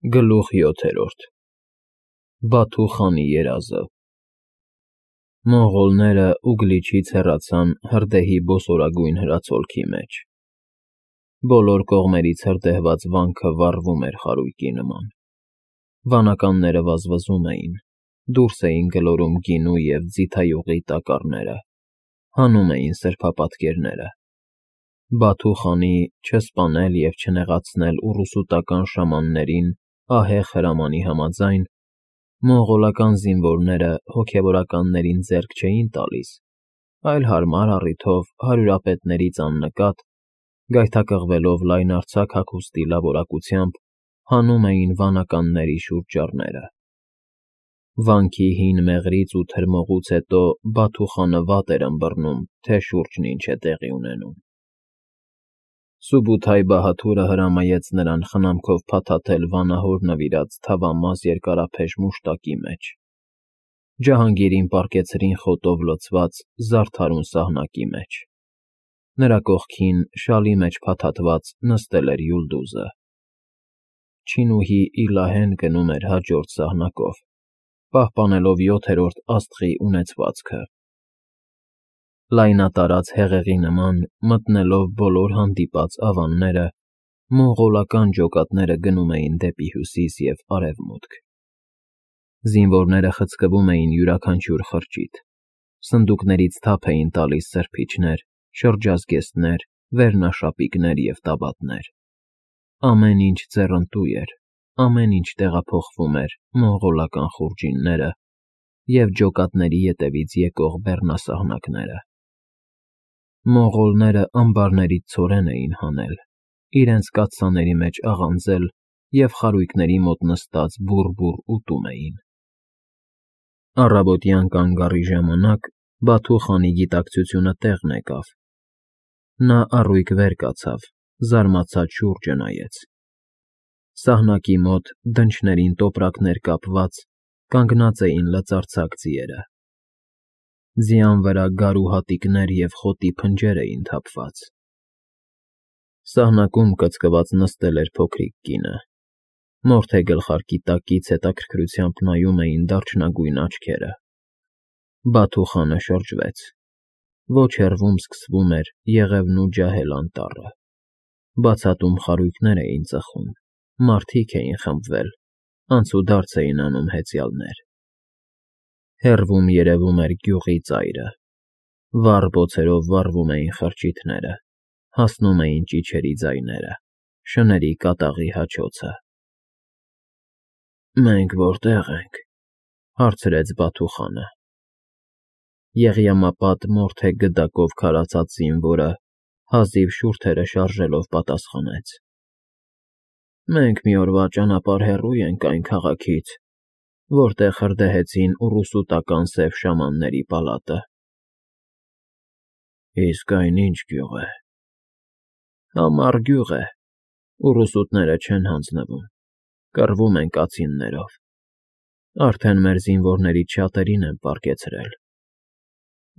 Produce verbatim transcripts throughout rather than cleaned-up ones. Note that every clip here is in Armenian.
Գլուխ յոթերորդ Բաթու խանի երազը Մոնղոլները Ուգլիչից հեռացան հրդեհի բոսորագույն հրացոլքի մեջ։ Բոլոր կողմերից հրդեհված վանքը վառվում էր խարույկի նման։ Վանականները վազվզում էին, դուրս էին գլորում գինու և ձիթայուղի տակառները, հանում էին սրբապատկերները։ Բաթու խանի չսպանել և չնեղացնել ուռուսուտական շամաններին ահեղ հրամանի համաձայն, մոնղոլական զինվորները հոգևորականներին ձեռք չէին տալիս, այլ հարմար առիթով հարյուրապետներից աննկատ, գայթակղվելով լայնարձակ հագուստի լավորակությամբ, հանում էին վանականների շուրջառները։ Վանքի հին մեղրից ու թրմողուց հետո Բաթու խանը վատ էր ըմբռնում, թե շուրջն ինչ է տեղի ունենում։ Սուբութայ-Բահաթուրը հրամայեց նրան խնամքով փաթաթել վանահոր նվիրած թավամաս երկարափեշ մուշտակի մեջ։ Ջահանգիրին պառկեցրին խոտով լցված զարդարուն սահնակի մեջ։ Նրա կողքին, շալի մեջ փաթաթված, նստել էր Յուլդուզը։ Չինուհի Իլահեն գնում էր հաջորդ սահնակով, պահպանելով յոթերորդ աստղի ունեցվածքը։ Լայնատարած հեղեղի նման, մտնելով բոլոր հանդիպած ավանները, մոնղոլական ջոկատները գնում էին դեպի հյուսիս և արևմուտք։ Զինվորները խցկվում էին յուրաքանչյուր խրճիթ, սնդուկներից թափ էին տալիս սրբիչներ, շրջազգեստներ, վերնաշապիկներ և տաբատներ։ Ամեն ինչ ձեռընտու էր, ամեն ինչ տեղափոխվում էր մոնղոլական խուրջինները և ջոկատների ետևից եկող բեռնասահնակները։ Մոնղոլները ամբարներից ցորեն էին հանել, իրենց կաթսաների մեջ աղանձել և խարույկների մոտ նստած բուռ֊բուռ ուտում էին։ Առավոտյան կանգառի ժամանակ Բաթու խանի գիտակցությունը տեղն եկավ։ Նա առույգ վեր կացավ, զարմացած շուրջը նայեց։ Սահնակի մոտ, դնչներին տոպրակներ կապված, կանգնած էին լծարձակ ձիերը։ Ձյան վրա գարու հատիկներ և խոտի փնջեր էին թափված։ Սահնակում կծկված նստել էր փոքրիկ կինը։ Մորթե գլխարկի տակից հետաքրքրությամբ նայում էին դարչնագույն աչքերը։ Բաթու խանը շրջվեց։ Ոչ հեռվում սկսվում էր Եղևնու ջահել անտառը։ Բացատում խարույկներ էին ծխում, մարդիկ էին խմբվել, անցուդարձ էին անում հեծյալներ։ Հեռվում երևում էր գյուղի ծայրը։ Վառ բոցերով վառվում էին խրճիթները, հասնում էին ճիչերի ձայները, շների կատաղի հաչոցը։ «Մենք որտե՞ղ ենք,֊ հարցրեց Բաթու խանը։ Եղյամապատ մորթե գդակով քարացած զինվորը, հազիվ շուրթերը շարժելով, պատասխանեց. «Մենք մի օրվա ճանապարհ հեռու ենք այն քաղաքից, որտեղ հրդեհեցին ուռուսուտական սև շամանների պալատը»։ «Իսկ այն ի՞նչ գյուղ է»։ «Համառ գյուղ է, ուռուսուտները չեն հանձնվում, կռվում են կացիններով։ Արդեն մեր զինվորներից շատերին են պառկեցրել։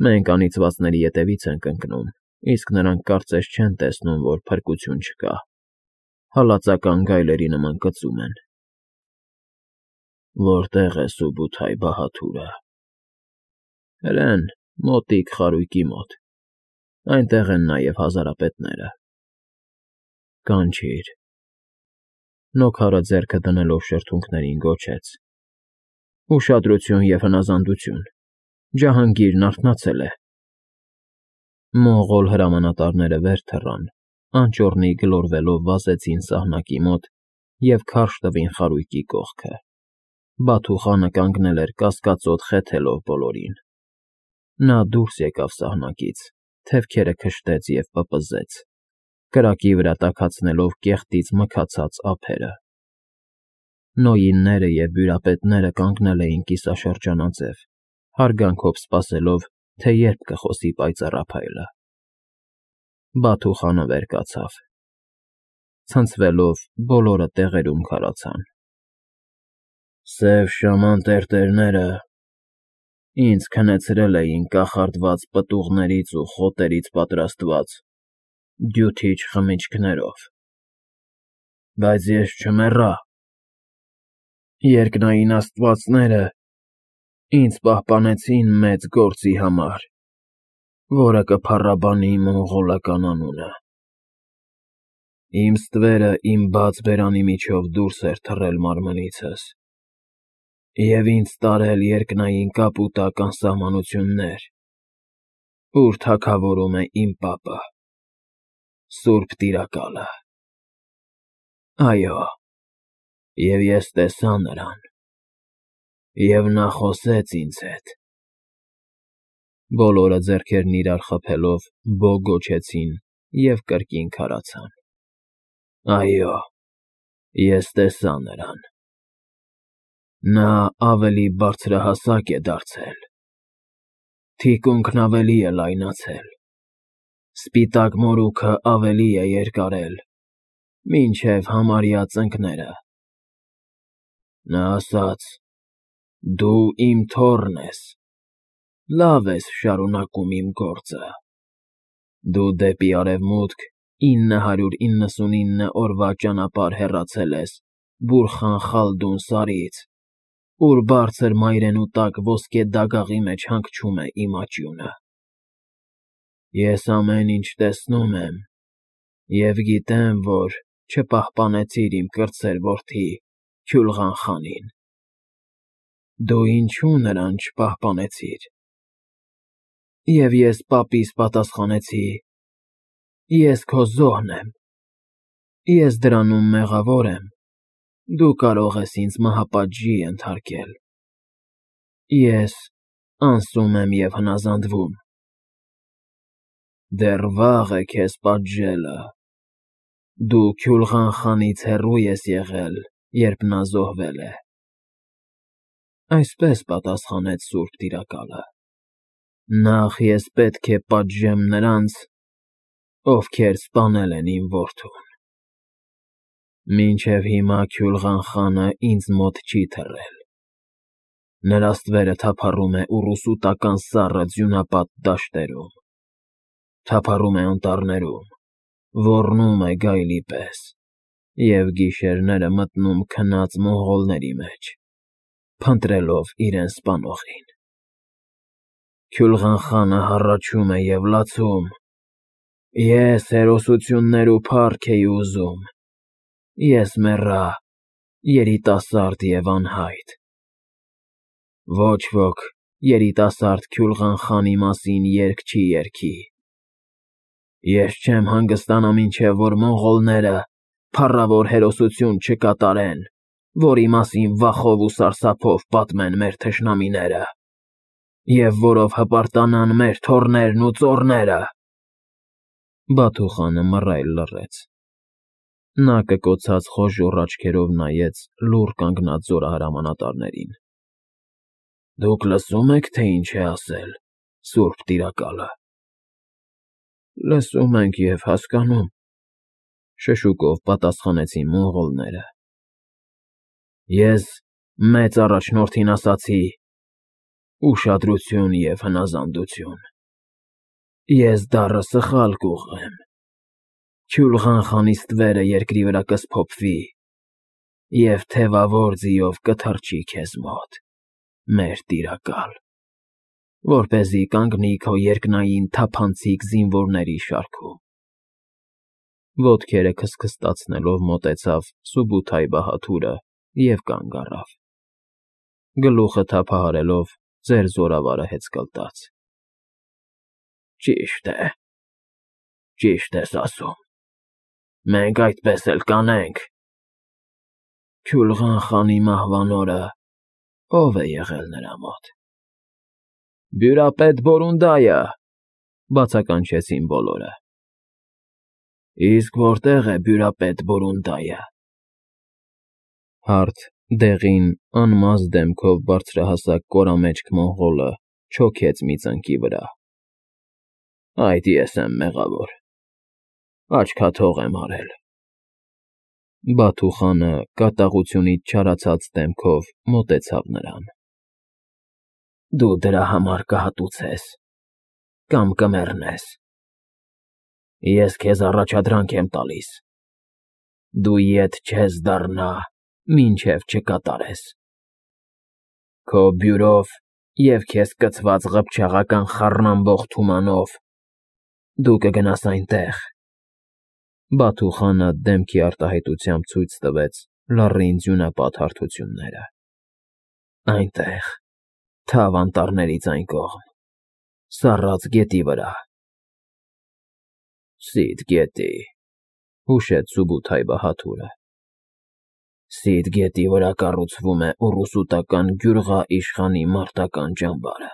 Մենք անիծվածների ետևից ենք ընկնում, իսկ նրանք կարծես չեն տեսնում, որ փրկություն չկա, հալածական գայլերի նման կծում են»։ «Որտե՞ղ է Սուբութայ-Բահաթուրը»։ «Հրեն, մոտիկ խարույկի մոտ, այնտեղ են նաև հազարապետները»։ «Կանչիր»։ Նոքարը ձեռքը դնելով շրթունքներին գոչեց. «Ուշադրություն և հնազանդություն, Ջահանգիրն արթնացել է»։ Մոնղոլ հրամանատարները վեր թռան, անճոռնի գլորվելով վազեցին սահնակի մոտ և քարշ տվին խարույկի կողքը։ Բաթու խանը կանգնել էր կասկածոտ խեթելով բոլորին։ Նա դուրս եկավ սահնակից, թևքերը քշտեց և պպզեց, կրակի վրա տաքացնելով կեղտից մքացած ափերը։ Նոյինները և բյուրապետները կանգնել էին կիսաշրջանաձև, հարգանքով սպասելով, թե երբ կխոսի պայծառափայլը։ Բաթու խանը վեր կացավ։ Ցնցվելով, բոլորը տեղերում քարացան։ «Սև շաման տերտերները ինձ քնեցրել էին կախարդված պտուղներից ու խոտերից պատրաստված դյութիչ խմիչքներով, բայց ես չմեռա, Երկնային աստվածները ինձ պահպանեցին մեծ գործի համար, որը կփառաբանի մոնղոլական անունը։ Իմ ստվերը իմ բաց բերանի միջով դուրս էր թռել մարմնիցս և ինձ տարել երկնային կապուտակ անսահմանություններ, ուր թագավորում է իմ պապը, Սուրբ Տիրակալը։ Այո, և ես տեսա նրան, և նա խոսեց ինձ հետ։ Բոլորը ձեռքերն իրար խփելով «Բո» գոչեցին և կրկին քարացան։ Այո, ես տեսա նրան։ Նա ավելի բարձրահասակ է դարձել, թիկունքն ավելի է լայնացել, սպիտակ մորուքը ավելի է երկարել, մինչև համարյա ծնկները։ Նա ասաց. «Դու իմ թոռն ես, լավ ես շարունակում իմ գործը։ Դու դեպի արևմուտք ինը հարյուր իննսունինը օրվա ճանապարհ հեռացել ես Բուրխան-Խալդուն սարից, ուր բարձր մայրենու տակ ոսկե դագաղի մեջ հանգչում է իմ աճյունը։ Ես ամեն ինչ տեսնում եմ և գիտեմ, որ չպահպանեցիր իմ կրտսեր որդի Քյուլղան֊խանին։ Դու ինչո՞ւ նրան չպահպանեցիր։ Եվ ես պապիս պատասխանեցի. «Ես քո զոհն եմ, ես դրանում մեղավոր եմ, դու կարող ես ինձ մահապատժի ենթարկել։ Ես անսում եմ և հնազանդվում։ Դեռ վաղ է քեզ պատժելը։ Դու Քյուլղան֊խանից հեռու ես եղել, երբ նա զոհվել է»։ Այսպես պատասխանեց Սուրբ Տիրակալը. «Նախ ես պետք է պատժեմ նրանց, ովքեր սպանել են իմ որդուն։ Մինչև հիմա Քյուլղան֊խանը ինձ մոտ չի թռել։ Նրա ստվերը թափառում է ուռուսուտական սառը ձյունապատ դաշտերում, թափառում է անտառներում, ոռնում է գայլի պես և գիշերները մտնում քնած մոնղոլների մեջ, փնտրելով իրեն սպանողին։ Քյուլղան֊խանը հառաչում է և լացում. «Ես հերոսություններ ու փառք էի ուզում, ես մեռա, երիտասարդ և անհայտ։ Ոչ ոք երիտասարդ Քյուլղան֊խանի մասին երգ չի երգի։ Ես չեմ հանգստանա, մինչև որ մոնղոլները փառավոր հերոսություն չկատարեն, որի մասին վախով ու սարսափով պատմեն մեր թշնամիները, և որով հպարտանան մեր թոռներն ու ծոռները»։ Բաթու խանը մռայլ լռեց։ Նա կկոցած խոժոռ աչքերով նայեց լուռ կանգնած զորահրամանատարներին։ «Դուք լսո՞ւմ եք, թե ինչ է ասել Սուրբ Տիրակալը»։ «Լսում ենք և հասկանում», ֊ շշուկով պատասխանեցին մոնղոլները։ «Ես մեծ առաջնորդին ասացի. ուշադրություն և հնազանդություն։ Ես դառը սխալ կուղղեմ։ Քյուլղան֊խանի ստվերը երկրի վրա կսփոփվի և թևավոր ձիով կթռչի քեզ մոտ, մեր տիրակալ, որպեսզի կանգնի քո երկնային թափանցիկ զինվորների շարքում»։ Ոտքերը քստքստացնելով մոտեցավ Սուբութայ-Բահադուրը և կանգ առավ, գլուխը թափահարելով ձեռ զորավարը հեծկլտաց։ «Ճիշտ է, ճիշտ ես ասում, մենք այդպես էլ կանենք։ Քյուլղան֊խանի մահվան օրը ո՞վ է եղել նրա մոտ»։ «Բյուրապետ Բորունդայը», ֊ բացականչեցին բոլորը։ «Իսկ որտե՞ղ է բյուրապետ Բորունդայը»։ Հարթ, դեղին, անմազ դեմքով բարձրահասակ կորամեջք մոնղոլը չոքեց մի ծնկի վրա։ «Այդ ես եմ մեղավոր, աչքաթող եմ արել»։ Բաթու խանը կատաղությունից չարացած դեմքով մոտեցավ նրան։ «Դու դրա համար կհատուցես կամ կմեռնես։ Ես քեզ առաջադրանք եմ տալիս. դու ետ չես դառնա, Մինչև չկատարես։ Քո բյուրով և քեզ կցված ղփչաղական խառնամբող թումանով դու կգնաս այնտեղ։ Բաթու խանը դեմքի արտահայտությամբ ցույց տվեց լառին ձյունապատ հարթությունները։ Այնտեղ, թավ անտառներից այն կողմ, սառած գետի վրա։ Սիդ գետի, հուշեց Սուբութայ բահադուրը։ Սիդ գետի վրա կառուցվում է ուռուսուտական գյուղա֊իշխանի մարտական ճամբարը։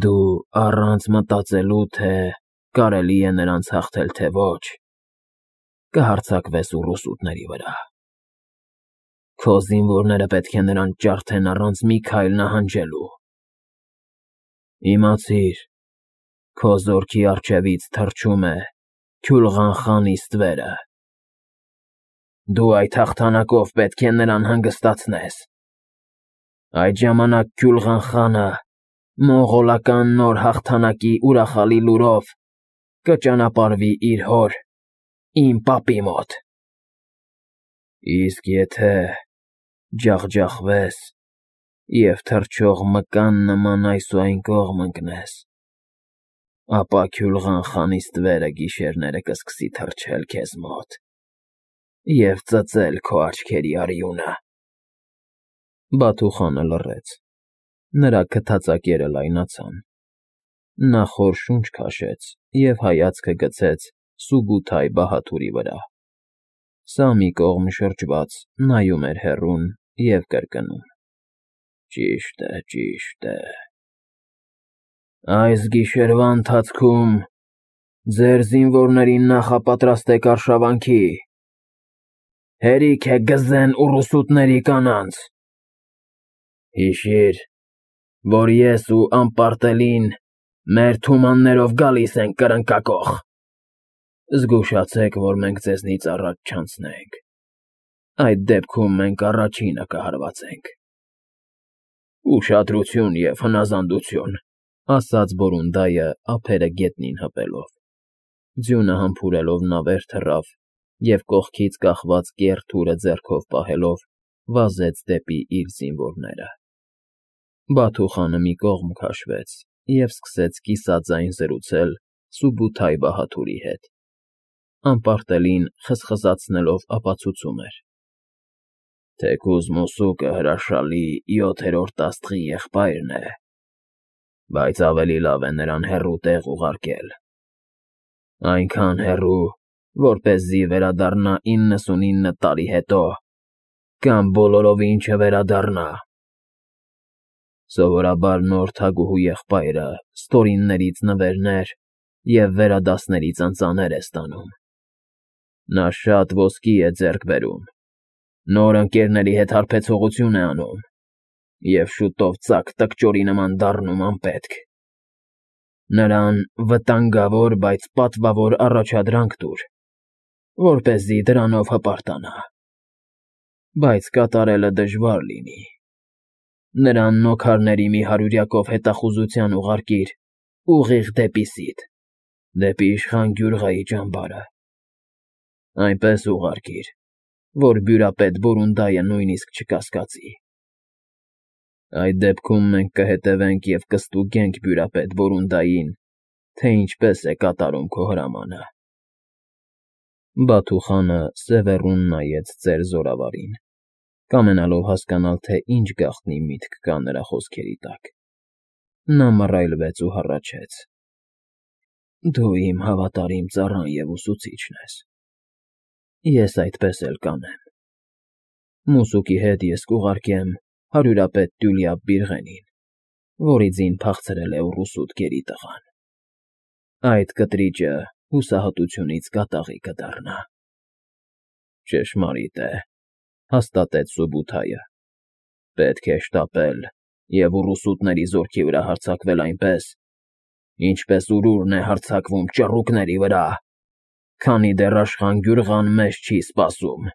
Դու առանց մտածելու, թե կարելի է նրանց հաղթել, թե ոչ, կհարձակվես ուռուսուտների վրա։ Քո զինվորները պետք է նրանց ջարդեն առանց մի քայլ նահանջելու։ Իմացիր, քո զորքի առջևից թռչում է Քյուլղան խանի ստվերը։ Դու այդ հաղթանակով պետք է նրան հանգստացնես։ Այդ ժամանակ Քյուլղան խանը մոնղոլական նոր հաղթանակի ուրախալի լուրով կճանապարհվի իր հոր, իմ պապի մոտ։ Իսկ եթե ջախջախվես և թռչող մկան նման այս ու այն կողմ ընկնես, ապա Քյուլղան խանի ստվերը գիշերները կսկսի թռչել քեզ մոտ և ծծել քո աչքերի արյունը։ Բաթու խանը լռեց, նրա քթածակերը լայնացան։ Նա խոր շունչ քաշեց և հայացքը գցեց Սուբութայ բահադուրի վրա։ Սա մի կողմ շրջված նայում էր հեռուն և կրկնում. Ճիշտ է, ճիշտ է։ Այս գիշերվա ընթացքում ձեր զինվորներին նախապատրաստեք արշավանքի։ Հերիք է գզեն ուռուսուտների կանանց։ Հիշիր, որ ես ու անպարտելին մեր թումաններով գալիս ենք կրնկակոխ։ Զգուշացեք, որ մենք ձեզնից առաջ չանցնենք։ Այդ դեպքում մենք առաջինը կհարվածենք։ Ուշադրություն և հնազանդություն, ասաց Բորունդայը ափերը գետնին հպելով։ Ձյունը համբուրելով նա վեր թռավ և կողքից կախված կեռ թուրը ձեռքով պահելով վազեց դեպի իր զինվորները։ Բաթու խանը մի կողմ քաշվեց և սկսեց կիսաձայն զրուցել Սուբութայ բահադուրի հետ։ Անպարտելին խզխզացնելով ապացուցում էր. Թեկուզ մուսուկը հրաշալի յոթերորդ աստղի եղբայրն է, բայց ավելի լավ է նրան հեռու տեղ ուղարկել։ Այնքան հեռու, որպեսզի վերադառնա իննսունինը տարի հետո կամ բոլորովին չվերադառնա։ Սովորաբար նոր թագուհու եղբայրը ստորիններից նվերներ և վերադասներից ընծաներ է ստանում։ Նա շատ ոսկի է ձեռք բերում, նոր ընկերների հետ հարբեցողություն է անում և շուտով ծակ տկճորի նման դառնում անպետք։ Նրան վտանգավոր, բայց պատվավոր առաջադրանք տուր, որպեսզի դրանով հպարտանա, բայց կատարելը դժվար լինի։ Նրան նոքարների մի հարյուրյակով հետախուզության ուղարկիր ուղիղ դեպի Սիդ, դեպի իշխան Գյուրղայի ճամբարը։ Այնպես ուղարկիր, որ բյուրապետ Բորունդայը նույնիսկ չկասկածի։ Այդ դեպքում մենք կհետևենք և կստուգենք բյուրապետ Բորունդային, թե ինչպես է կատարում քո հրամանը։ Բաթու խանը սևեռուն նայեց ծեր զորավարին, կամենալով հասկանալ, թե ինչ գաղտնի միտք կա նրա խոսքերի տակ։ Նա մռայլվեց ու հառաչեց. Դու իմ հավատարիմ ծառան և ուսուցիչն ես։ Ես այդպես էլ կանեմ։ Մուսուկի հետ ես կուղարկեմ հարյուրապետ Տյուլյա Բիրղենին, որի ձին փախցրել է ուռուսուտ գերիտղան։ Այդ կտրիճը հուսահատությունից կատաղի կդառնա։ Ճշմարիտ է, հաստատեց Սուբութայը։ Պետք է շտապել և ուռուսուտների զորքի վրա հարձակվել այնպես, ինչպես ուրուրն է հարձակվում ճռուկների վրա, քանի դեռ Աշխան Գյուրղան մեզ չի սպասում։